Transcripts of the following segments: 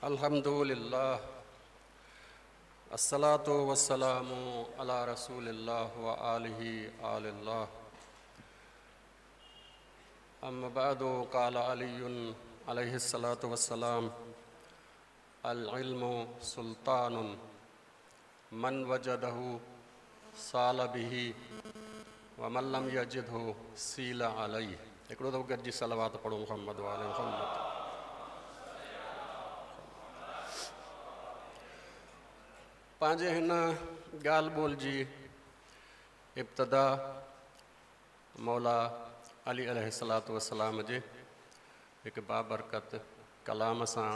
अल्हम्दुलिल्लाह अस्सलातु वस्सलामु अला रसूलिल्लाह व आलिहि आलिल्लाह अम्मा बअदु क़ाल अलीयुन अलैहिस्सलातु वस्सलाम अल इल्मु सुल्तानुन मन वजदहु साल बिही व मन लम यजिदहु सील अलैहि। हिकिड़ो दफ़ो गॾिजी सलावत पढ़ो मुहम्मद वाले मुहम्मद। पंहिंजे हिन ॻाल्हि ॿोल जी इब्तिदा मौला अली अलैहिस्सलातु वस्सलाम जे हिकु बाबरकत कलाम सां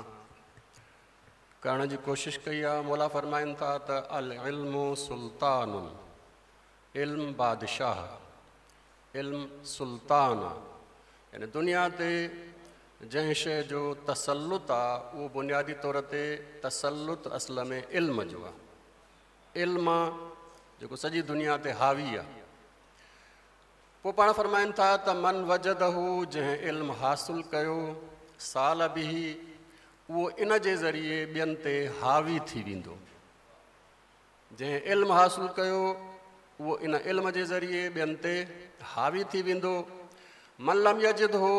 करण जी कोशिशि कई आहे। मौला फ़रमाइनि था त अल इल्मु सुल्तानुन, इल्म बादशाह, इल्म सुल्तान आहे, यानी दुनिया ते जंहिं शइ जो तसलुत आहे उहो बुनियादी तौर ते तसलुत असल में इल्म जो आहे। इल्म जेको सॼी दुनिया ते हावी आहे। पोइ पाण फ़रमाइनि था त मन वजदहु, जंहिं इल्म हासिल कयो, साल बिही, उहो इन जे ज़रिए ॿियनि ते हावी थी वेंदो। जंहिं इल्म हासिल कयो उहो इन इल्म जे ज़रिए ॿियनि ते हावी थी वेंदो। मन लम यजिदहु,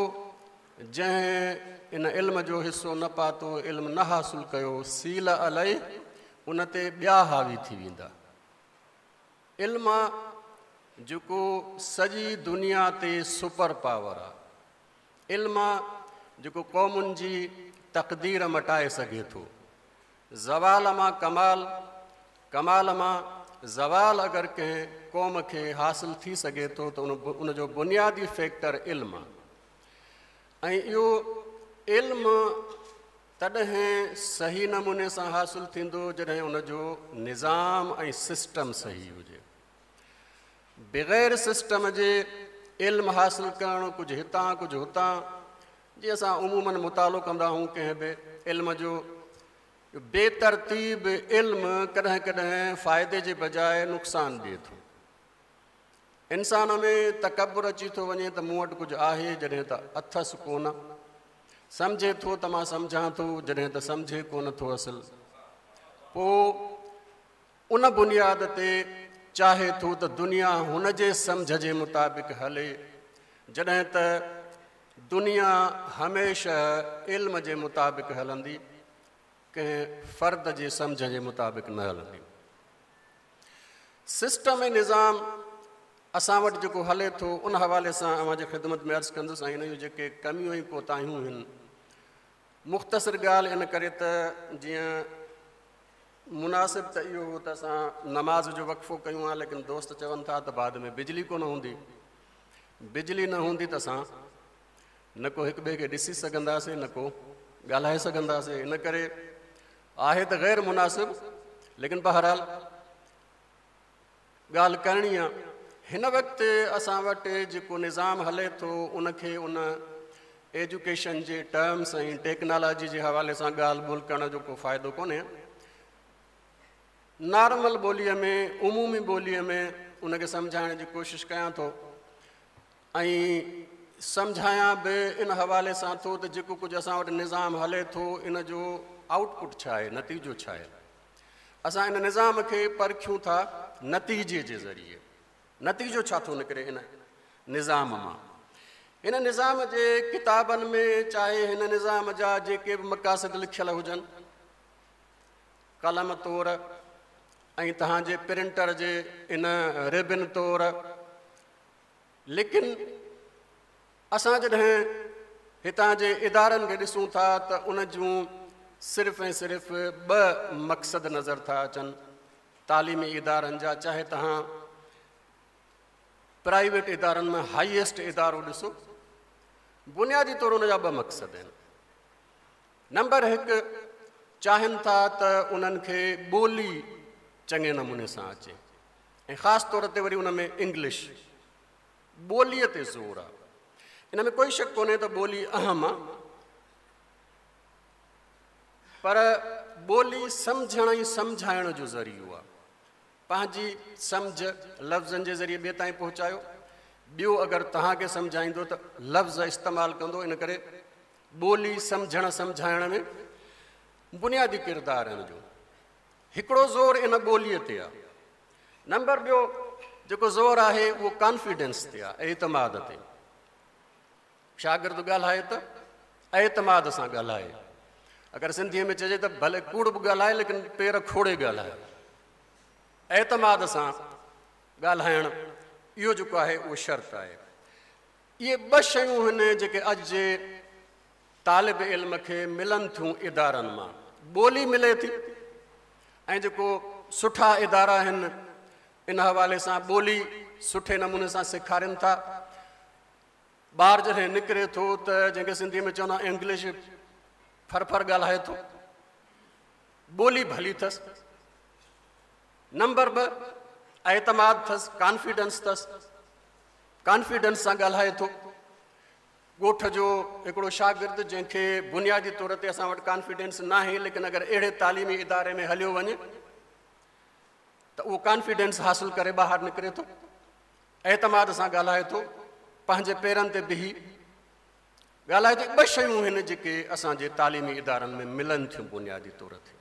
जंहिं इन इल्म जो हिसो न पातो, इल्म न हासिल कयो, सील अलैहि, उन ते ॿिया हावी थी वेंदा। इल्म जेको सॼी दुनिया ते सुपर पावर आहे, इल्म जेको क़ौमुनि जी तक़दीर मटाए सघे थो। ज़वाल मां कमाल, कमाल मां ज़वाल अगरि कंहिं क़ौम खे हासिल थी सघे थो त उन जो बुनियादी फैक्टर इल्म आहे। ऐं इहो इल्म तॾहिं सही नमूने सां हासिल थींदो जॾहिं उनजो निज़ाम ऐं सिस्टम सही हुजे। बग़ैर सिस्टम जे इल्म हासिल करणु कुझु हितां कुझु हुतां, जीअं असां उमूमन मुतालो कंदा आहियूं कंहिं बि इल्म जो, बेतरतीब इल्म कॾहिं कॾहिं फ़ाइदे जे बजाए नुक़सानु ॾिए थो। इंसान में तकबुर अची थो वञे त मूं वटि कुझु आहे, जॾहिं त अथसि कोन। सम्झे थो त मां सम्झां थो, जॾहिं त सम्झे कोन थो असल। पोइ उन बुनियाद ते चाहे थो त दुनिया हुन जे सम्झ जे मुताबिक़ हले, जॾहिं त दुनिया हमेशह इल्म जे मुताबिक़ हलंदी, कंहिं फ़र्द जे सम्झ जे मुताबिक़ न हलंदी। सिस्टम ऐं निज़ाम असां वटि जेको हले थो उन हवाले सां अव्हां जे ख़िदमत में अर्ज़ु कंदुसि ऐं इन जूं जेके कमियूं ऐं कोताहियूं आहिनि। मुख़्तसिर ॻाल्हि इन करे त जीअं मुनासिब त इहो हो त असां नमाज़ जो वक़्फ़ो कयूं आहे, लेकिन दोस्त चवनि था त बाद में बिजली कोन हूंदी, बिजली न हूंदी त असां न को हिक ॿिए खे ॾिसी सघंदासीं न को ॻाल्हाए सघंदासीं। इन करे आहे त ग़ैर मुनासिब, लेकिन बहरहाल ॻाल्हि करणी आहे। हिन वक़्तु असां वटि जेको निज़ाम हले थो उनखे उन एजुकेशन जे टर्म्स ऐं टेक्नोलॉजी जे हवाले सां ॻाल्हि ॿोल करण जो को फ़ाइदो कोन्हे। नॉर्मल ॿोलीअ में, उमूमी ॿोलीअ में उनखे सम्झाइण जी कोशिशि कयां थो ऐं सम्झायां बि इन हवाले सां थो त जेको कुझु असां वटि निज़ाम हले थो इन जो आउटपुट छा आहे, नतीजो छा आहे। असां इन निज़ाम खे परखियूं था नतीजे जे ज़रिए, नतीजो छा थो निकिरे इन निज़ाम मां। हिन निज़ाम जे किताबनि में चाहे हिन निज़ाम जा जेके बि मक़ासिद लिखियल हुजनि, कलम तौर ऐं तव्हांजे प्रिंटर जे इन रिबन तौर, लेकिन असां जॾहिं हितां जे इदारनि खे ॾिसूं था त उन जूं सिर्फ़ ऐं सिर्फ़ ॿ मक़सद नज़र था अचनि तालीमी इदारनि जा। चाहे तव्हां प्राइवेट इदारनि में हाईएस्ट इदारो ॾिसो, बुनियादी तौर उन जा ॿ मक़सद आहिनि। नंबर हिकु, चाहिनि था त उन्हनि खे ॿोली चङे नमूने सां अचे ऐं ख़ासि तौर ते वरी उन में इंग्लिश ॿोलीअ ते ज़ोर आहे। इन में कोई शक कोन्हे त ॿोली अहम आहे, पर ॿोली सम्झण ऐं सम्झाइण जो ज़रियो आहे। पंहिंजी सम्झ लफ़्ज़नि जे ज़रिए ॿिए ताईं पहुचायो, ॿियो अगरि तव्हांखे सम्झाईंदो त लफ़्ज़ इस्तेमालु कंदो। इन करे ॿोली सम्झण सम्झाइण में بنيادي ڪردار آهي ان جو. هڪڙو زور ان ٻوليء تي آهي. نمبر ٻيو جيڪو زور آهي اهو ڪانفيڊنس تي آهي، اعتماد تي. شاگرد ڳالهائي ته اعتماد سان ڳالهائي. اگر سنڌيء ۾ چئجي ته ڀلي ڪوڙ به ڳالهائي ليڪن پير کوڙي ڳالهائي. اعتماد سان ڳالهائڻ اهو جيڪو آهي اهو شرط آهي. اهي ٻه شيون هن جيڪي اڄ جي طالب علم کي ملن ٿيون ادارن مان. ٻولي ملي ٿي ۽ جيڪو سٺا ادارا آهن ان حوالي سان ٻولي سٺي نموني سان سيکارين ٿا. ٻار جڏهن نڪري ٿو ته جنهن کي سنڌيء ۾ چوندا آهن انگلش ڦر ڦر ڳالهائي ٿو، ٻولي ڀلي اٿس. نمبر 2 اعتماد اٿس، ڪانفيڊنس اٿس، ڪانفيڊنس سان ڳالهائي ٿو. ڳوٺ جو هڪڙو شاگرد جنهن کي بنيادي طور تي اسان وٽ ڪانفيڊنس ناهي، ليڪن اگر اهڙي تعليمي اداري ۾ هليو وڃي ته اهو ڪانفيڊنس حاصل ڪري ٻاهر نڪري ٿو، اعتماد سان ڳالهائي ٿو، پنهنجي پيرن تي بيهي ڳالهائي ٿو. ٻه شيون هن جيڪي اسان جي تعليمي ادارن ۾ ملن ٿيون بنيادي طور تي،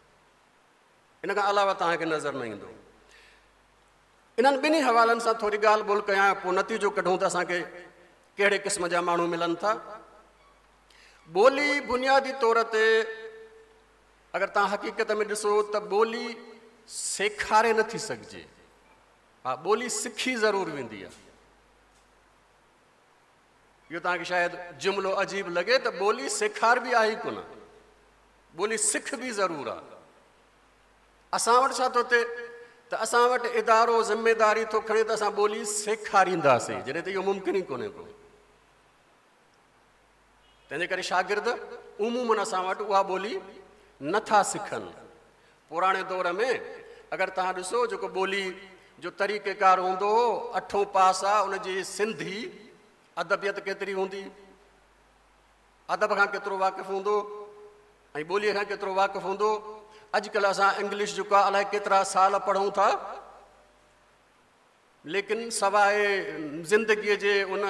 ان کان علاوه توهان کي نظر نه ايندو. انهن ٻنهي حوالن سان ٿوري ڳالهه ٻولهه ڪيان، پوء نتيجو ڪڍون ته اسان کي ڪهڙي قسم جا ماڻهو ملن ٿا. ٻولي بنيادي طور تي اگر توهان حقيقت ۾ ڏسو ته ٻولي سيکاري نٿي سگهجي، ها ٻولي سکي ضرور ويندي آهي. اهو توهان کي شايد جملو عجيب لڳي ته ٻولي سيکاربي آهي ئي ڪونه، ٻولي سکبي ضرور آهي. اسان وٽ ڇا ٿو ٿئي ته اسان وٽ ادارو ذميداري ٿو کڻي ته اسان ٻولي سيکارينداسين، جڏهن ته اهو ممڪن ئي ڪونهي ڪو. تنهنجي ڪري شاگرد عموماً اسان وٽ اها ٻولي نٿا سکن. پراڻي دور ۾ اگر توهان ڏسو جيڪو ٻولي جو طريقيڪار هوندو هو، اٺون پاس آ، ان جي سنڌي ادبيت ڪيتري هوندي، ادب کان ڪيترو واقف هوندو ۽ ٻوليء کان ڪيترو واقف هوندو. اڄڪلهه اسان انگلش جيڪو آهي الائي ڪيترا سال پڙهون ٿا، ليڪن سواء زندگيء جي ان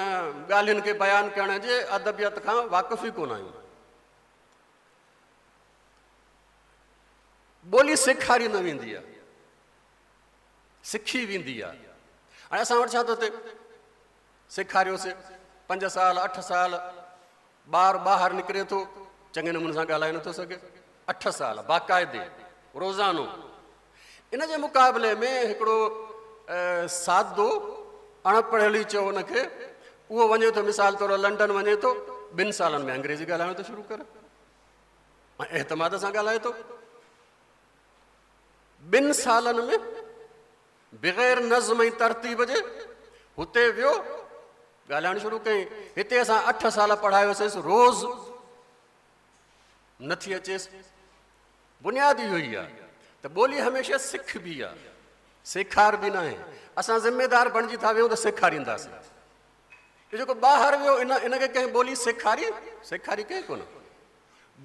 ڳالهين کي بيان ڪرڻ جي ادبيت کان واقف ئي ڪونه آهيون. ٻولي سيکاري نه ويندي آهي، سکي ويندي آهي. هاڻي اسان وٽ ڇا ٿو ٿئي، سيکاريوسي 5 سال 8 سال، ٻار ٻاهر نڪري ٿو چڱي نموني سان ڳالهائي نٿو سگهي، 8 سال باقاعدي روزانو. ان جي مقابلي ۾ هڪڙو سادو اڻ پڙهيل ئي چئو ان کي، اهو وڃي ٿو مثال طور لنڊن وڃي ٿو، 2 سالن ۾ انگريزي ڳالهائڻ ٿو شروع ڪري ۽ اعتماد سان ڳالهائي ٿو. 2 سالن ۾ بغير نظم ۽ ترتيب جي هتي ويو ڳالهائڻ شروع ڪيائين. هتي اسان 8 سال پڙهايوسيس، روز نٿي اچيس. بنياد اهو ئي آهي ته ٻولي هميشه سکبي آهي، سيکاربي ناهي. اسان ذميدار بڻجي ٿا ويهون ته سيکارينداسين. اهو جيڪو ٻاهر ويو ان کي ڪنهن ٻولي سيکاري؟ سيکاري ڪنهن ڪونه.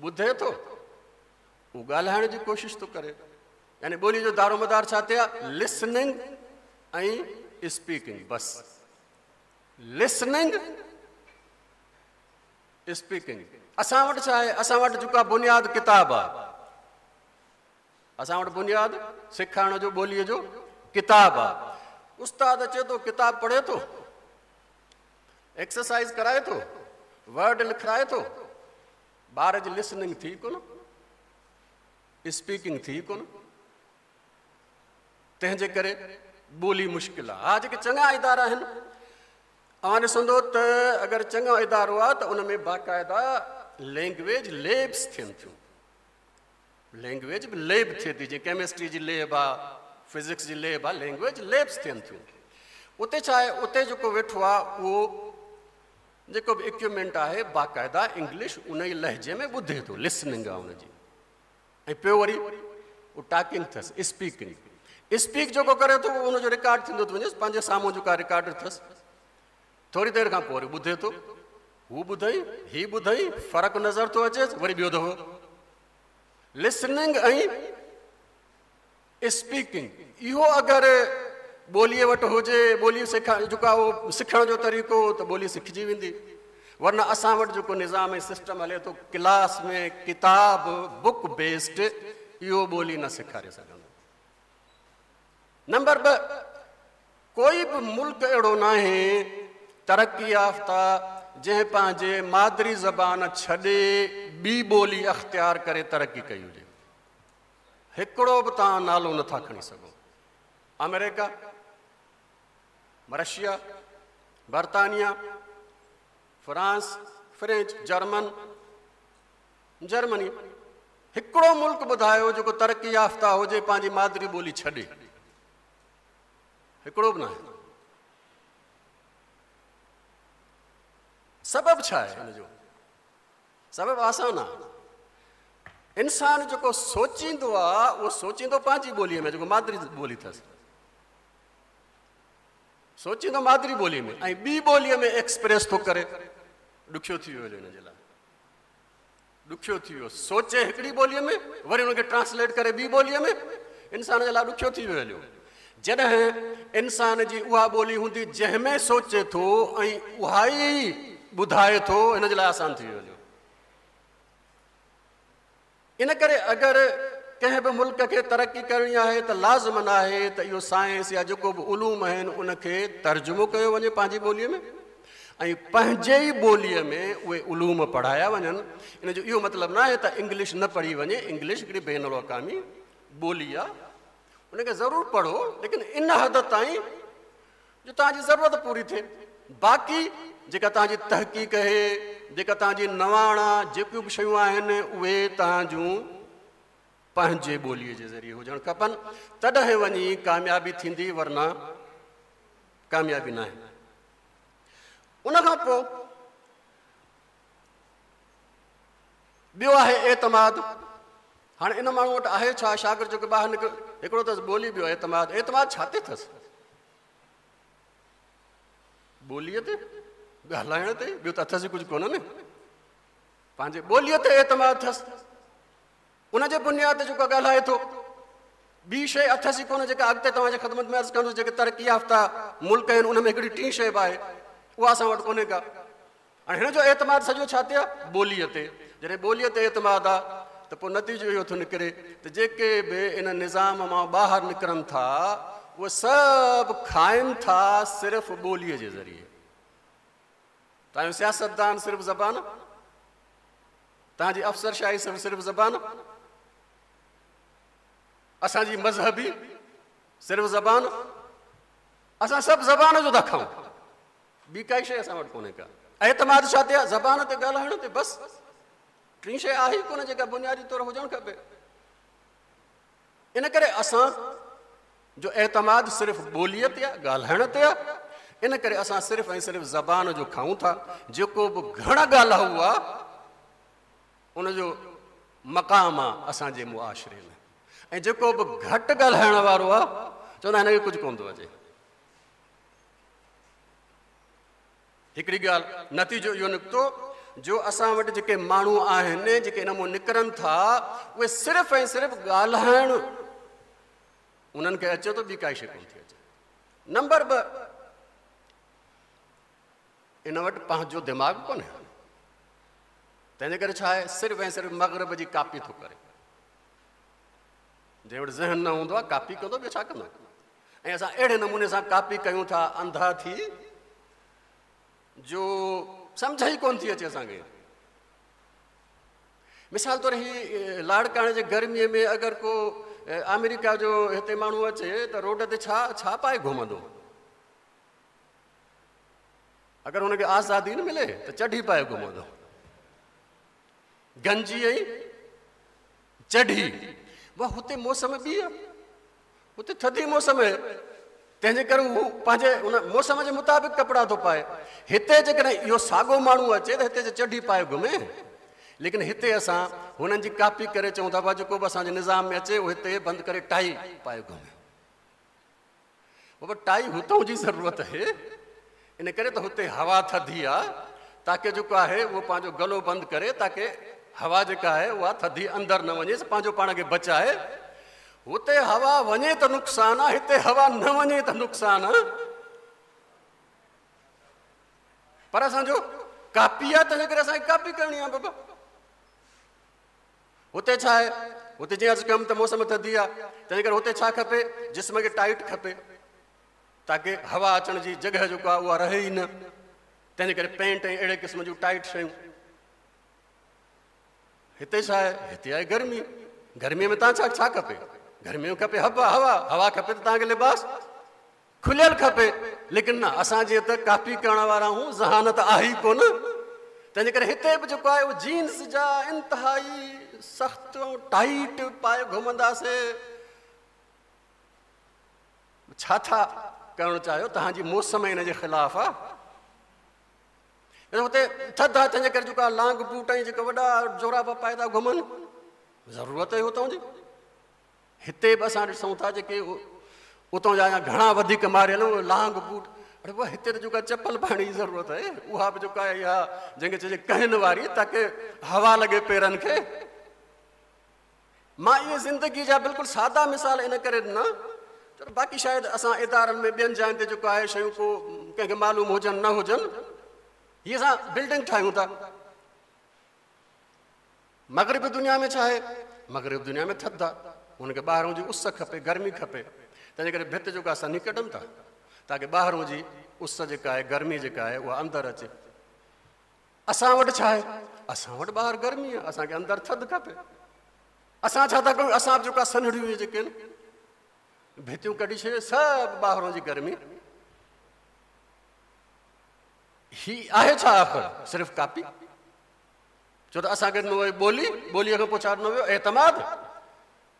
ٻڌي ٿو، اهو ڳالهائڻ جي ڪوشش ٿو ڪري. يعني ٻولي جو دارومدار ڇا تي آهي؟ لسننگ ۽ اسپيڪنگ، بس لسننگ اسپيڪنگ. اسان وٽ ڇا آهي؟ اسان وٽ جيڪو آهي بنياد ڪتاب آهي. اسان وٽ بنياد سيکارڻ جو ٻوليء جو ڪتاب آهي. استاد اچي ٿو، ڪتاب پڙهي ٿو، ايڪسرسائز ڪرائي ٿو، ورڊ لکرائي ٿو، ٻار جي لسننگ ٿي ڪونه، اسپيڪنگ ٿي ڪونه، تنهن جي ڪري ٻولي مشڪل آهي. ها جيڪي چڱا ادارا آهن، اوهان ڏسندو ته اگر چڱو ادارو آهي ته ان ۾ باقاعده لينگويج ليبس ٿين ٿيون. لينگويج به ليب ٿئي ٿي، جيئن ڪيمسٽري جي ليب آهي، فزڪس جي ليب آهي، لينگويج ليبس ٿين ٿيون. اتي ڇا آهي، اتي جيڪو ويٺو آهي اهو جيڪو به اڪوپمينٽ آهي باقاعده انگلش ان ئي لهجي ۾ ٻڌي ٿو، لسننگ آهي ان جي، ۽ پيو وري اهو ٽاڪنگ اٿس، اسپيڪنگ. اسپيڪ جيڪو ڪري ٿو اهو ان جو رڪارڊ ٿيندو ٿو وڃيس، پنهنجي سامهون جيڪا رڪارڊ اٿس، ٿوري دير کان پوء وري ٻڌي ٿو، هو ٻڌئي هي ٻڌئي، فرق نظر ٿو اچيس، وري ٻيو دفعو لسننگ ۽ اسپيڪنگ. اهو اگر ٻوليء وٽ هجي، ٻولي سکا جيڪو آهي اهو سکڻ جو طريقو، ته ٻولي سکجي ويندي. ورنه اسان وٽ جيڪو نظام ۽ سسٽم هلي ٿو ڪلاس ۾ ڪتاب بڪ بيسڊ اهو ٻولي نه سيکاري سگهندو. نمبر 2، ڪوئي به ملڪ اهڙو ناهي ترقي يافته جنهن پنهنجي مادري زبان ڇڏي ٻي ٻولي اختيار ڪري ترقي ڪئي هجي. هڪڙو به توهان نالو نٿا کڻي سگهو. آمريڪا، رشيا، برطانيا، فرانس، فرينچ، جرمن، جرمني، هڪڙو ملڪ ٻڌايو جيڪو ترقي يافته هجي پنهنجي مادري ٻولي ڇڏي. هڪڙو به ناهي. سبب ڇا آهي ان جو؟ سبب آسان آهي. انسان جيڪو سوچيندو آهي اهو سوچيندو پنهنجي ٻوليء ۾ جيڪو مادري ٻولي اٿس، سوچيندو مادري ٻوليء ۾ ۽ ٻي ٻوليء ۾ ايڪسپريس ٿو ڪري. ڏکيو ٿي ويو هن جي لاء، ڏکيو ٿي ويو. سوچي هڪڙي ٻوليء ۾ وري ان کي ٽرانسليٽ ڪري ٻي ٻوليء ۾، انسان جي لاء ڏکيو ٿي ويو هليو. جڏهن انسان جي اها ٻولي هوندي جنهن ۾ سوچي ٿو ۽ اها ئي ٻڌائي ٿو، هن جي لاء آسان ٿي ويو هليو. ان ڪري اگر ڪنهن به ملڪ کي ترقي ڪرڻي آهي ته لازم ناهي ته اهو سائنس يا جيڪو به علوم آهن ان کي ترجمو ڪيو وڃي پنهنجي ٻوليء ۾ ۽ پنهنجي ئي ٻوليء ۾ اهي علوم پڙهايا وڃن. ان جو اهو مطلب ناهي ته انگلش نه پڙهي وڃي. انگلش هڪڙي بين الاقوامي ٻولي آهي، ان کي ضرور پڙهو، ليڪن ان حد تائين جو توهان جي ضرورت پوري ٿئي. باقي جيڪا توهان جي تحقيق آهي، جيڪا توهان جي نواڻ آهي، جيڪيون به شيون آهن اهي توهان جون پنهنجي ٻوليء جي ذريعي هجڻ کپن، تڏهن وڃي ڪاميابي ٿيندي، ورنه ڪاميابي ناهي. ان کان پوء ٻيو آهي اعتماد. هاڻي ان ماڻهو وٽ آهي ڇا؟ شاگرد جيڪو ٻاهر نڪري، هڪڙو اٿس ٻولي، ٻيو اعتماد. اعتماد ڇا تي اٿس؟ ٻوليء تي، ڳالهائڻ تي، ٻيو ته اٿس ئي ڪجهه ڪونه نه. پنهنجي ٻوليء تي اعتماد اٿس، ان جي بنياد تي جيڪو ڳالهائي ٿو. ٻي شيء اٿس ئي ڪونه جيڪا اڳتي توهان جي خدمت ۾ عرض ڪندس. جيڪي ترقي يافته ملڪ آهن ان ۾ هڪڙي ٽين شيء به آهي، اها اسان وٽ ڪونهي ڪا. هاڻي هن جو اعتماد سڄو ڇا تي آهي؟ ٻوليء تي. جڏهن ٻوليء تي اعتماد آهي ته پوء نتيجو اهو ٿو نڪري ته جيڪي به ان نظام مان ٻاهر نڪرن ٿا اهي سڀ کائن ٿا صرف ٻوليء جي ذريعي. توهان جو سياستدان صرف زبان، توهان جي افسرشاهي صرف زبان، اسان جي مذهبي صرف زبان، اسان سڀ زبان جو ٿا کائون، ٻي ڪائي شيء اسان وٽ ڪونهي ڪا. اعتماد ڇا تي آهي؟ زبان تي، ڳالهائڻ تي، بس. ٽين شيء آهي ئي ڪونه جيڪا بنيادي طور هجڻ کپي. ان ڪري اسان جو اعتماد صرف ٻوليء تي آهي، ڳالهائڻ تي آهي. ان ڪري اسان صرف ۽ صرف زبان جو کائون ٿا. جيڪو به گهڻ ڳالهائو آهي ان جو مقام آهي اسان جي معاشري ۾، ۽ جيڪو به گهٽ ڳالهائڻ وارو آهي چوندا هن کي ڪجهه ڪونه ٿو اچي. هڪڙي ڳالهه، نتيجو اهو نڪتو جو اسان وٽ جيڪي ماڻهو آهن جيڪي ان مان نڪرن ٿا اهي صرف ۽ صرف ڳالهائڻ انهن کي اچي ٿو، ٻي ڪائي شيء ڪونه ٿي اچي. نمبر 2، ان وٽ پنهنجو دماغ ڪونهي، تنهنجي ڪري ڇا آهي، صرف ۽ صرف مغرب جي ڪاپي ٿو ڪري. جنهن وٽ ذهن نه هوندو آهي ڪاپي ڪندو، ٻيو ڇا ڪندو؟ ۽ اسان اهڙي نموني سان ڪاپي ڪيون ٿا انڌا ٿي جو سمجهه ئي ڪونه ٿي اچي اسان کي. مثال طور هي لاڙڪاڻي جي گرميء ۾ اگر ڪو آمريڪا جو هتي ماڻهو اچي ته روڊ تي ڇا ڇا پائي گهمندو؟ اگر هن کي آزادي نه ملي ته چڍي پائي گهمندو، گنجي ۽ چڍي. واهه، هتي موسم ٻي آهي، هتي ٿڌي موسم آهي، تنهن جي ڪري هو پنهنجي ان موسم جي مطابق ڪپڙا ٿو پائي. هتي جيڪڏهن اهو ساڳو ماڻهو اچي ته هتي چڍي پائي گهمي، ليڪن هتي اسان هنن جي ڪاپي ڪري چئون ٿا ڀا جيڪو به اسان جي نظام ۾ اچي اهو هتي بند ڪري ٽائي پائي گهمي. بابا ٽائي هتان جي ضرورت آهي، ان ڪري ته هتي هوا ٿڌي آهي، تاڪه جيڪو آهي اهو پنهنجو گلو بند ڪري، تاڪه هوا جيڪا آهي اها ٿڌي اندر نه وڃي، پنهنجو پاڻ کي بچائي. هتي هوا وڃي ته نقصان آهي، هتي هوا نه وڃي ته نقصان آهي. پر اسان جو ڪاپي آهي، تنهنجي ڪري اسان کي ڪاپي ڪرڻي آهي بابا. هتي ڇا آهي؟ هتي جيئن عرض ڪيم ته موسم ٿڌي آهي، تنهنجي ڪري هتي ڇا کپي؟ جسم کي ٽائيٽ کپي، تاڪه هوا اچڻ جي جڳهه جيڪا آهي اها رهي ئي نه، تنهنجي ڪري پينٽ ۽ اهڙي قسم جون ٽائيٽ شيون. هتي ڇا آهي؟ هتي آهي گرمي. گرميء ۾ توهان ڇا ڇا کپي؟ گرميء ۾ کپي هوا، هوا، هوا کپي ته توهان کي لباس کليل کپي. ليڪن نه، اسان جيئن ته ڪاپي ڪرڻ وارا آهيون، ذهانت آهي ئي ڪونه، تنهنجي ڪري هتي به جيڪو آهي اهو جينز جا انتهائي سخت ۽ ٽائيٽ پائي گهمنداسي. ڇا ٿا ڪرڻ چاهيو؟ توهان جي موسم ان جي خلاف آهي. هتي ٿڌ آهي، تنهنجي ڪري جيڪو آهي لانگ بوٽ ۽ جيڪا وڏا جورابا پائي ٿا گهمن، ضرورت ئي هتان جي. هتي به اسان ڏسون ٿا جيڪي اتان جا اڃا گهڻا وڌيڪ ماريل اهي لانگ بوٽ. اڙي بابا، هتي ته جيڪا چپل پائڻ جي ضرورت آهي، اها به جيڪا آهي اها جنهن کي چئجي ڪهن واري، تاڪه هوا لڳي پيرن کي. مان اهي زندگي جا بلڪل سادا مثال ان ڪري ڏنا ڇو ته باقي شايد اسان ادارن ۾ ٻين جاين تي جيڪو آهي شيون ڪو ڪنهن کي معلوم هجن نه هجن. هي اسان بلڊنگ ٺاهيون ٿا. مغربي دنيا ۾ ڇا آهي؟ مغربي دنيا ۾ ٿڌ آهي، هن کي ٻاهرون جي اس کپي، گرمي کپي، تنهنجي ڪري ڀت جيڪا سنهي ڪڍن ٿا تاڪه ٻاهرون جي اس جيڪا آهي، گرمي جيڪا آهي، اها اندر اچي. اسان وٽ ڇا آهي؟ اسان وٽ ٻاهر گرمي آهي، اسان کي اندر ٿڌ کپي. اسان ڇا ٿا ڪيون؟ اسان به جيڪا سنهڙيون جيڪي آهن ڀتيون ڪڍي ڇڏي، سڀ ٻاهرون جي گرمي. هي آهي ڇا آخر؟ صرف ڪاپي. ڇو ته اسان کي ڏنو ويو ٻولي، ٻوليء کان پوء ڇا ڏنو ويو؟ اعتماد.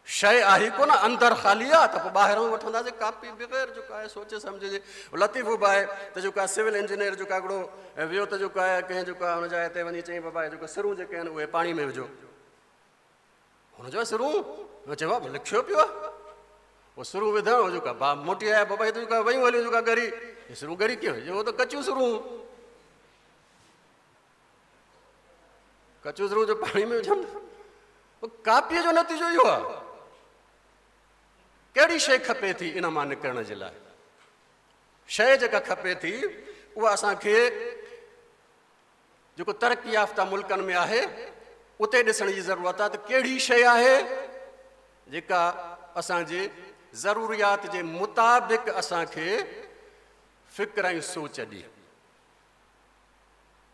شيء آهي ڪونه، اندر خالي آهي ته پوء ٻاهران وٺنداسين ڪاپي بغير جيڪو آهي سوچي سمجهي جي. لطيفو به آهي ته جيڪو آهي سول انجنيئر جيڪو آهي هڪڙو ويو ته جيڪو آهي ڪنهن جيڪو آهي هن جاء تي وڃي چيائين بابا هي جيڪو سرون جيڪي آهن اهي پاڻي ۾ وجهو. هن چيو سرون؟ هن چيو بابا لکيو پيو آهي. اهو سرون وڌڻ هو جيڪو آهي موٽي آيا بابا هي ته جيڪو آهي ويون هليون جيڪو آهي ڳري، هي سرون ڳري ڪيئن ويون؟ اهو ته ڪچيون سرون. ڪچو سرون جو پاڻي ۾ وجهن، ڪاپيء جو نتيجو اهو آهي. ڪهڙي شيء کپي ٿي ان مان نڪرڻ جي لاء؟ شيء جيڪا کپي ٿي اها اسان کي جيڪو ترقي يافته ملڪن ۾ آهي اتي ڏسڻ جي ضرورت آهي ته ڪهڙي شيء آهي جيڪا اسان جي ضروريات جي مطابق اسان کي فڪر ۽ سوچ ڏي.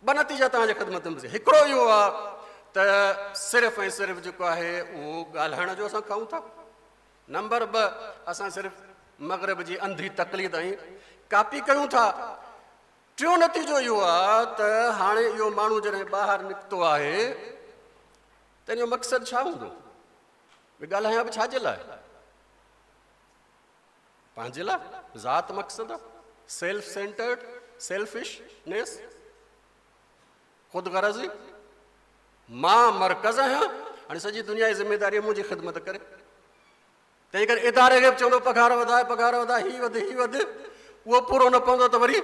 ٻه نتيجا توهان جي خدمت ۾. هڪڙو اهو آهي ته صرف ۽ صرف جيڪو آهي اهو ڳالهائڻ جو اسان کائون ٿا. نمبر ٻه، اسان صرف مغرب جي انڌي تقليد ۽ ڪاپي ڪيون ٿا. ٽيون نتيجو اهو آهي ته هاڻي اهو ماڻهو جڏهن ٻاهر نڪتو آهي ته ان جو مقصد ڇا هوندو؟ ڳالهايان به ڇا جي لاء؟ پنهنجي لاء. ذات مقصد آهي، سيلف سينٽرڊ، سيلفشنيس، خود غرضي، مان مرڪز آهيان، هاڻي سڄي دنيا جي ذميداري منهنجي خدمت ڪري. تنهن ڪري اداري کي به چوندو پگهار وڌاء، پگهار وڌاء، هي وڌ، هي وڌ، اهو پورو نه پوندو ته وري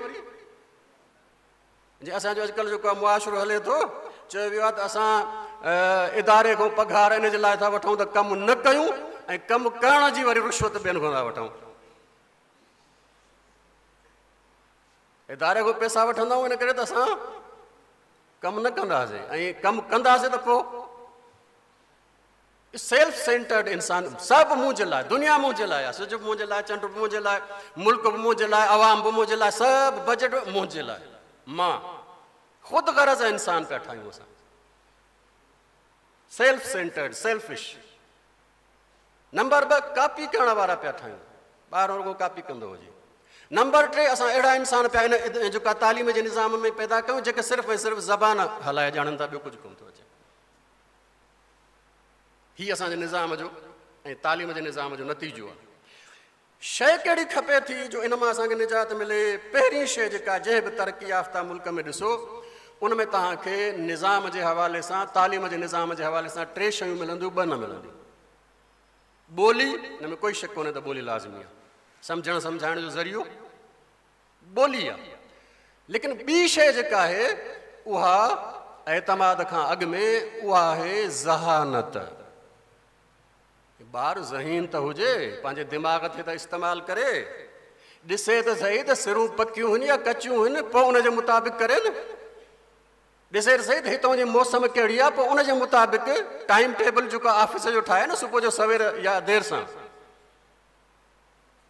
جي اسان جو اڄڪلهه جيڪو معاشرو هلي ٿو، چيو ويو آهي ته اسان اداري کان پگهار ان جي لاء ٿا وٺون ته ڪم نه ڪيون ۽ ڪم ڪرڻ جي وري رشوت ٻين کان ٿا وٺون. اداري کان پئسا وٺندا آهيون ان ڪري ته اسان ڪم نه ڪنداسين ۽ ڪم ڪنداسين ته پوء سيلف سينٽرڊ انسان، سڀ منهنجي لاء، دنيا منهنجي لاء آهي، سج به منهنجي لاء، چنڊ به منهنجي لاء، ملڪ به منهنجي لاء، عوام به منهنجي لاء، سڀ بجيٽ به منهنجي لاء. مان خود غرض انسان پيا ٺاهيون اسان، self centred, selfish. Number 2، copy ڪرڻ وارا پيا ٺاهيون، ٻاهران رڳو ڪاپي ڪندو هجي. نمبر 3، اسان اهڙا انسان پيا ان جيڪا تعليم جي نظام ۾ پيدا ڪيون جيڪي صرف ۽ صرف زبان هلائي ڄاڻن ٿا، ٻيو ڪجهه ڪونه ٿو اچي. هي اسان جي نظام جو ۽ تعليم جي نظام جو نتيجو آهي. شيء ڪهڙي کپي ٿي جو ان مان اسان کي نجات ملي؟ پهرين شيء جيڪا جنهن به ترقي يافته ملڪ ۾ ڏسو ان ۾ توهان کي نظام جي حوالي سان، تعليم جي نظام جي حوالي سان 3 شيون ملنديون، 2 نه ملنديون. ٻولي، ان ۾ ڪوئي شڪ ڪونهي ته ٻولي لازمي آهي، سمجهڻ سمجهائڻ جو ذريعو ٻولي آهي. ليڪن ٻي شيء جيڪا آهي اها اعتماد کان اڳ ۾ اها آهي ذهانت. ٻار ذهين ته هجي، پنهنجي دماغ کي ته استعمال ڪري، ڏسي ته سهي ته سرون پڪيون هن يا ڪچيون هن، پوء ان جي مطابق ڪري نه. ڏسي ته سهي ته هتان جي موسم ڪهڙي آهي، پوء ان جي مطابق ٽائيم ٽيبل جيڪو آفيس جو ٺاهي نه صبح جو سوير يا دير سان.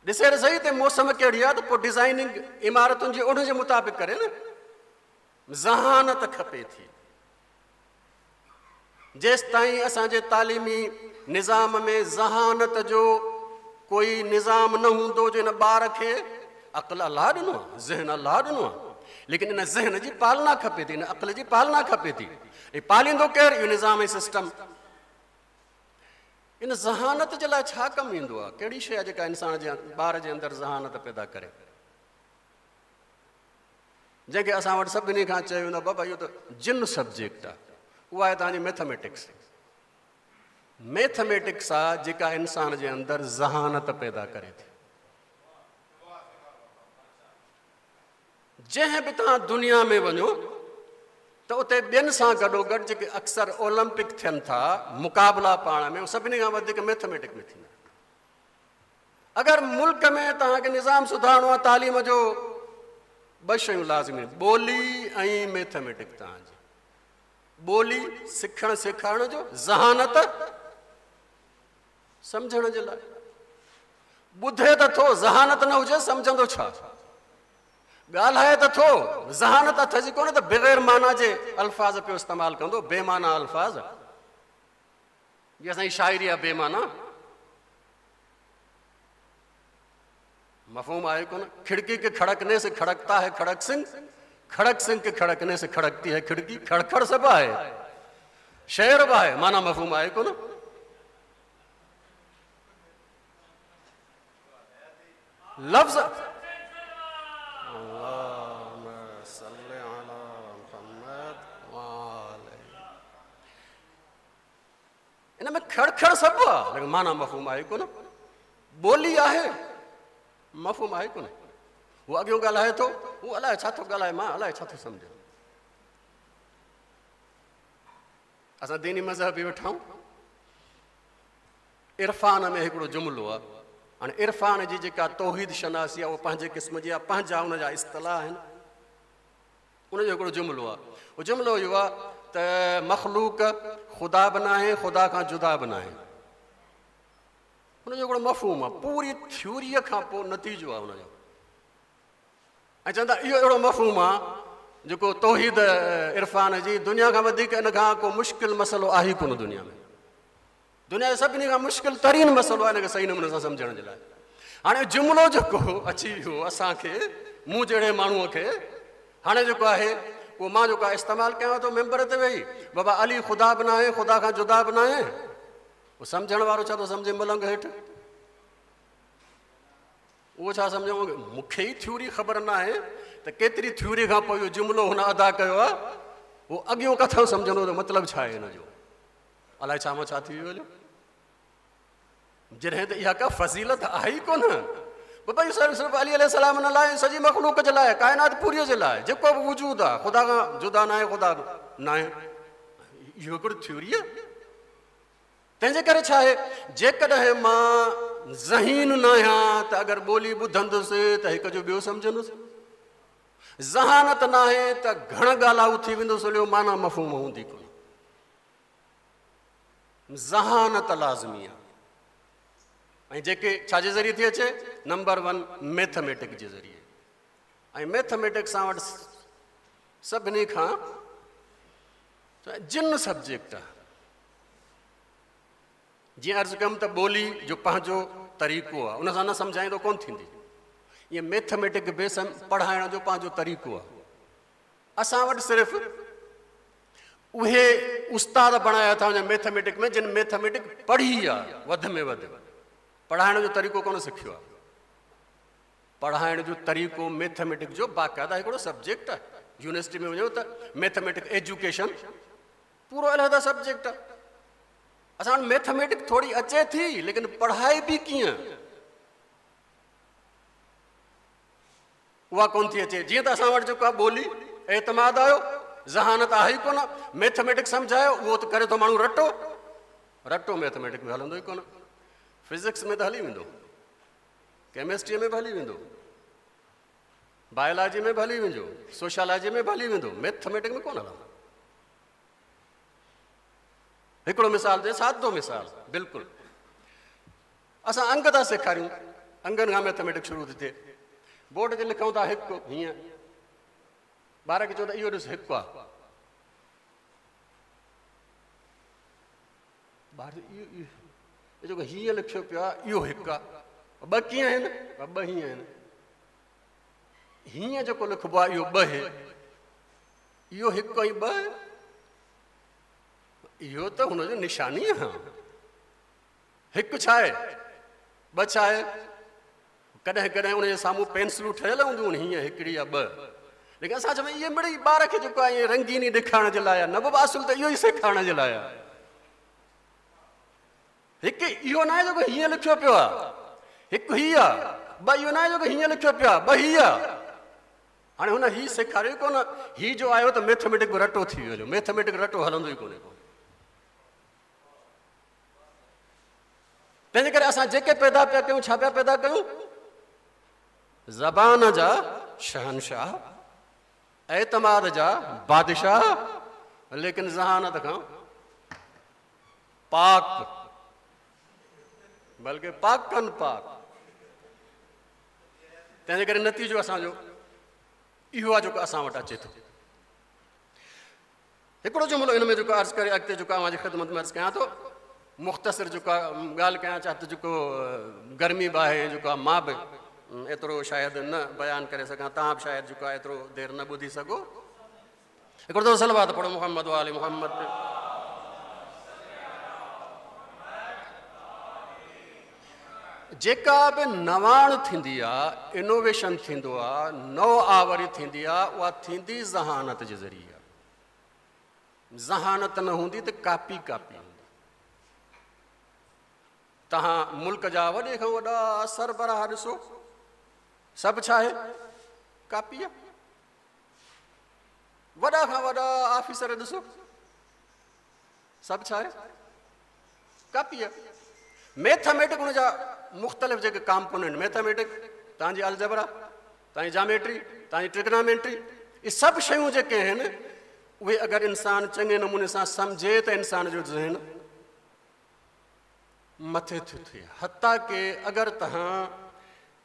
ڏسي ته سهي ته موسم ڪهڙي آهي ته پوء ڊزائننگ عمارتن جي ان جي مطابق ڪري نه. ذهانت کپي ٿي. جيستائين اسان جي تعليمي نظام ۾ ذهانت جو ڪوئي نظام نه هوندو جو ان ٻار کي عقل الله ڏنو آهي، ذهن الله ڏنو آهي، ليڪن ان ذهن جي پالنا کپي ٿي، ان عقل جي پالنا کپي ٿي. ۽ پاليندو ڪير؟ اهو نظام ۽ سسٽم. ان ذهانت جي لاء ڇا ڪم ايندو آهي؟ ڪهڙي شيء آهي جيڪا انسان جي ٻار جي اندر ذهانت پيدا ڪري؟ جنهن کي اسان وٽ سڀني کان چيو ويندو آهي بابا اهو ته جن سبجيڪٽ آهي، اها آهي توهان جي ميٿميٽڪس. ميٿميٽڪس آهي جيڪا انسان جي اندر ذهانت پيدا ڪري ٿي. جنهن به توهان دنيا ۾ وڃو ته اتي ٻين سان گڏوگڏ جيڪي اڪثر اولمپڪ ٿين ٿا مقابلا پاڻ ۾ سڀني کان وڌيڪ ميٿميٽڪ ۾ ٿيندا. اگر ملڪ ۾ توهان کي نظام سڌارڻو آهي تعليم جو، ٻه شيون لازمي آهن، ٻولي ۽ ميٿميٽڪ. توهان جي ٻولي سکڻ سيکارڻ جو، ذهانت سمجهڻ جي لاء. ٻڌي ته ٿو، ذهانت نه هجي سمجهندو ڇا؟ ڳالهائي ته ٿو، ذهانت اٿس ئي ڪونه ته بغير معنيٰ جي الفاظ پيو استعمال ڪندو، بي معنيٰ الفاظ. جي اسان جي شاعري آهي بي معنيٰ، مفهوم آهي ڪونه. کڙڪي ڪي کڙڪني سي کڙڪتا هي کڙڪ سنگهه، کڙڪ سنگهه ڪي کڙڪني سي کڙڪتي هي کڙڪي. کڙکڙ سڀ آهي، شعر به آهي، معنيٰ مفهوم آهي ڪونه. لفظ اللهم صل علي محمد وآله. ان ۾ کڙ کڙ سڀ آ، ليڪن معنيٰ مفهوم آهي ڪونه. ٻولي آهي، مفهوم آهي ڪونه. هو اڳيون ڳالهائي ٿو، هو الائي ڇا ٿو ڳالهائي، مان الائي ڇا ٿو سمجهان. اسان ديني مذهبي ويٺا آهيون. عرفان ۾ هڪڙو جملو آ. هاڻي عرفان جي جيڪا توحيد شناسي آ، اها پنهنجي قسم جي آ، پنهنجا ان جا اصطلاح آهن. ان جو هڪڙو جملو آهي، اهو جملو اهو آهي ته مخلوق خدا به ناهي، خدا کان جدا به ناهي. ان جو هڪڙو مفهوم آهي، پوري ٿيوريء کان پوء نتيجو آهي ان جو. ۽ چوندا اهو اهڙو مفهوم آهي جيڪو توحيد عرفان جي دنيا کان وڌيڪ ان کان ڪو مشڪل مسئلو آهي ئي ڪونه دنيا ۾. دنيا جو سڀني کان مشڪل ترين مسئلو آهي ان کي صحيح نموني سان سمجهڻ جي لاء. هاڻي جملو جيڪو اچي ويو اسان کي، مون جهڙي ماڻهوء کي، هاڻي جيڪو آهي اهو مان جيڪو آهي استعمال ڪيان ٿو ممبر تي ويهي، بابا علي خدا به ناهي، خدا کان جدا به ناهي. اهو سمجهڻ وارو ڇا ٿو سمجهي ملنگ هيٺ؟ اهو ڇا سمجهو؟ مون کي ئي ٿيوري خبر ناهي ته ڪيتري ٿيوري کان پوء اهو جملو هن ادا ڪيو آهي. اهو اڳيون ڪٿان سمجهندو ته مطلب ڇا آهي هن جو؟ الائي ڇا مان ڇا ٿي ويو هليو. جڏهن ته اها ڪا فضيلت آهي ئي ڪونه. بابا اهو صرف صرف علي عليه السلام نه لاء، سڄي مخلوق جي لاء، ڪائنات پوريء جي لاء، جيڪو به وجود آهي خدا کان جدا ناهي، خدا ناهي. اهو هڪڙو ٿيوري آهي. تنهن جي ڪري ڇا آهي، جيڪڏهن مان ذهين ناهيان ته اگر ٻولي ٻڌندس ته هڪ جو ٻيو سمجهندس. ذهانت ناهي ته گهڻ ڳالهائو ٿي ويندس هليو، معنيٰ مفهوم هوندي ڪونه. ذهانت لازمي آهي. ۽ جيڪي ڇا جي ذريعي ٿي اچي؟ نمبر ون ميٿميٽڪ جي ذريعي. ۽ ميٿميٽڪ سان وٽ سڀني کان جن سبجيڪٽ آهي. جيئن عرض ڪيم ته ٻولي جو پنهنجو طريقو آهي، ان سان نه سمجهائيندو ڪونه ٿيندي. ائين ميٿميٽڪ به پڙهائڻ جو پنهنجو طريقو آهي. اسان وٽ صرف اهي استاد بڻايا ٿا وڃن ميٿميٽڪ ۾ جن ميٿميٽڪ پڙهي آ، وڌ ۾ وڌ پڙهائڻ جو طريقو ڪونه سکيو آ. پڙهائڻ جو طريقو ميٿميٽڪ جو باقاعده هڪڙو سبجيڪٽ آ. يونيورسٽي ۾ وڃو ته ميٿميٽڪ ايجوڪيشن پورو علحده سبجيڪٽ آ. اسان وٽ ميٿميٽڪ ٿوري اچي ٿي ليڪن پڙهائي به ڪيئن اها ڪونه ٿي اچي. جيئن ته اسان وٽ جيڪو آهي ٻولي اعتماد آيو، ذهانت آهي ئي ڪونه، ميٿميٽڪ سمجهايو اهو ته ڪري ٿو ماڻهو رٽو، رٽو ميٿميٽڪ ۾ هلندو ئي ڪونه. فزڪس ۾ ته هلي ويندو، ڪيمسٽريء ۾ به هلي ويندو، بائلاجي ۾ به هلي ويندو، سوشالاجي ۾ به هلي ويندو، ميٿميٽڪ ۾ ڪونه هلندو. हिकिड़ो मिसाल ॾे, सादो मिसाल बिल्कुलु। असां अंग था सेखारियूं, अंगनि खां मैथमेटिक शुरू थी थिए। बोर्ड ते लिखूं था हिकु, हीअं ॿार खे चओ त इहो ॾिस हिकु आहे। ॿार इहो जेको हीअं लिखियो पियो आहे इहो हिकु आहे, ॿ कीअं आहिनि? ॿ हीअं आहिनि। हीअं जेको लिखिबो आहे इहो ॿ आहे, इहो हिकु ऐं ॿ, इहो त हुनजो निशानी आहे। हिकु छा आहे, ॿ छा आहे? कॾहिं कॾहिं उनजे साम्हूं पेंसिलूं ठहियल हूंदियूं आहिनि, हीअं हिकिड़ी या ॿ। लेकिन असां चवंदा इहे मिड़ेई ॿार खे जेको आहे ईअं रंगीनी ॾेखारण जे लाइ आहे, न बाबा, असुलु त इहो ई सेखारण जे लाइ आहे। हिकु इहो न आहे जेको हीअं लिखियो पियो आहे, हिकु हीअ आहे, ॿ इहो न आहे जेको हीअं लिखियो पियो आहे, ॿ हीअ आहे। हाणे हुन हीअ सेखारियो ई कोन, हीअ जो आयो त मैथमेटिक बि रटो थी वियो, मैथमेटिक रटो हलंदो ई कोन्हे को। तंहिंजे करे असां जेके पैदा पिया कयूं, छा पिया पैदा कयूं? ज़बान जा शहनशाह, एतमाद जा बादशाह, लेकिन ज़हानत खां पाक, बल्कि पाकन पाक। तंहिंजे करे नतीजो असांजो इहो आहे जेको असां वटि अचे थो। हिकिड़ो जुमिलो इन में जेको अर्ज़ु करे अॻिते जेको अव्हां जी ख़िदमत में अर्ज़ु कयां थो, मुख़्तसिर जेको ॻाल्हि कयां, चाहे त जेको गर्मी बि आहे, जेको आहे मां बि एतिरो शायदि न बयानु करे सघां, तव्हां बि शायदि जेको आहे एतिरो देरि न ॿुधी सघो। हिकिड़ो दफ़ो सलवात पढ़ो मोहम्मद वाले मोहम्मद ते। जेका बि नवाण थींदी आहे, इनोवेशन थींदो आहे, नव आवरी थींदी आहे, उहा थींदी ज़हानत जे ज़रिए आहे। ज़हानत न हूंदी त कापी कापी हूंदी। तव्हां मुल्क जा वॾे खां वॾा सरबराह ॾिसो, सभु छा आहे? कापी आहे। वॾा खां वॾा ऑफिसर ॾिसो, सभु छा आहे? कापी आहे। मैथमेटिक हुन जा मुख़्तलिफ़ जेके कॉम्पोनेंट, मैथमेटिक तव्हांजी अलजबरा, तव्हांजी जामेट्री, तव्हांजी ट्रिग्नोमेट्री, इहे सभु शयूं जेके आहिनि उहे अगरि इंसान चङे नमूने सां सम्झे त इंसान जो ज़हन मथे थो थिए। हता के अगरि तव्हां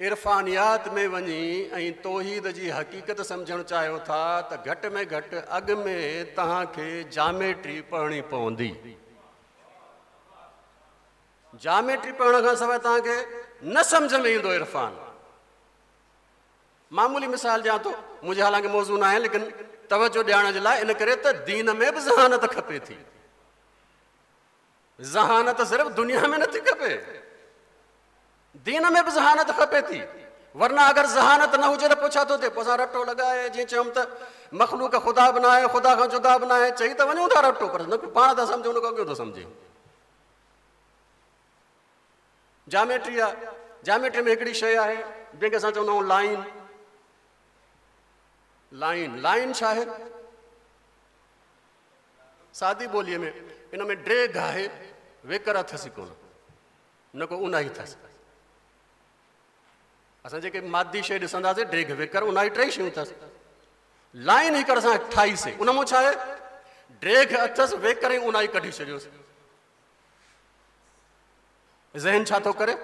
इरफानियात में वञी ऐं तौहीद जी हक़ीक़त सम्झणु चाहियो था त घटि में घटि अॻु में तव्हांखे जामेट्री पढ़णी पवंदी। जामेट्री पढ़ण खां सवाइ तव्हांखे न सम्झ में ईंदो इरफान। मामूली मिसाल ॾियां थो, मुंहिंजे हालांकि मौज़ू न आहे, लेकिन तवजो ॾियण जे लाइ, इन करे त दीन में बि ज़हानत खपे थी। ज़हानत सिर्फ़ दुनिया में नथी खपे, दीन में बि ज़हानत खपे थी। वरना अगरि ज़हानत न हुजे त पोइ छा थो थिए? पोइ असां रटो लॻाए, जीअं चयुमि त मख़लूक ख़ुदा बि न आहे, ख़ुदा खां जुदा बि न आहे, चई त वञूं था रटो, पर न पाण था सम्झूं, हुन खां अॻियो थो सम्झे। जामेट्री आहे, जामेट्री में हिकिड़ी शइ आहे जंहिंखे असां चवंदा आहियूं लाइन। लाइन लाइन छा आहे? सादी ॿोलीअ में इन में ड्रेघ आहे, वेकर अथसि कोन, न को उनाही अथसि। असां जेके मादी शइ ॾिसंदासीं, ड्रेघ वेकर उनाही टेई शयूं अथसि। लाइन हिकु असां ठाहीसीं, उन मां छा आहे? ड्रेघ अथसि, वेकर ऐं उनाही कढी छॾियोसीं। ज़हन छा थो करे?